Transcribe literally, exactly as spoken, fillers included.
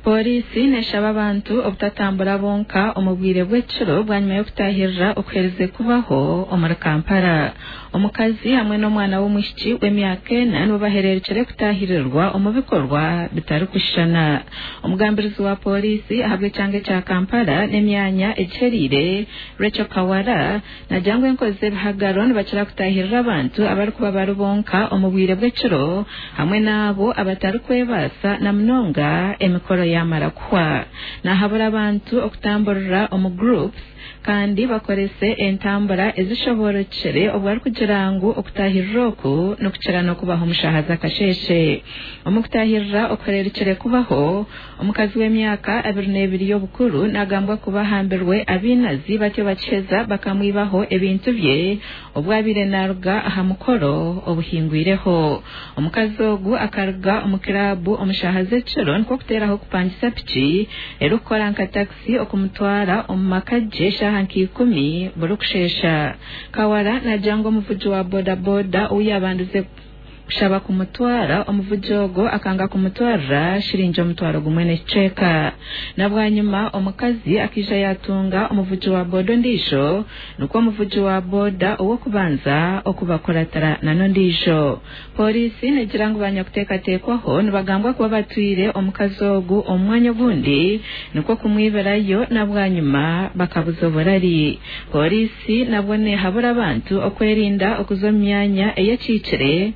Pooriisi neeshaba abantu obutatambura bonka omu bwire bw'ekiro bwanyima y'okutaahirira okuherize kubaho omuri Kampala. Omukazi hamwe n'omwana w'omwishiki w'emyaka ena nibo bahereerukire kutaahirirwa omu bikorwa bitarikushushana. Omugambirizi wa pooriisi ahabw'ekyanga ekya Kampala n'emyanya egiheriire Rachel Kawala naagira ngu enkozi z'ebihagaro nibakira kutaahirira abantu abarikuba bari bonka omu bwire bw'ekiro hamwe n'abo abatarikwebaasa na munonga emikoro yamara kuhwa. Nahabura abantu okutamburira omu groups kandi bakorese entambura ezishoborokire obwo arikugira ngu okutaahirira oku nikukira n'okubaho omu shaaha z'akasheeshe. Omu kutaahirira okuhereerukire kubaho, omukazi w'emyaka abiri n'ebiri y'obukuru nagambwa kuba ahambirwe abainazi batyo bakiheza bakamwibaho ebintu bye obwo abaire naruga aha mukoro obuhingwireho. Omukazi ogu akaruga omu kiraabu omu shaaha z'ekiro nikwo kuteeraho kupangisa piki erikukora nka takisi okumutwara omu maka gye shaaha nka ikumi burikusheesha. Kawala naagira ngu omuvugi wa bodaboda ou yaabandize kushaba kumutwara omuvugi ogwo akanga kumutwarira shiringi omutwaro gumwe n'ekicweka. Na bwanyima omukazi akaija yaatunga omuvugi wa boda ondiijo nikwo omuvugi wa boda ow'okubanza okubakuratira n'ondiijo. Pooriisi neegira ngu banyakuteekateekwaho nibagambwa kuba batwire omukazi ogu omu mwanya ogundi nikwo kumwibirayo na bwanyima bakabuza oburari. Pooriisi nabwo neehabura abantu okwerinda okuza omu myanya eyekiikire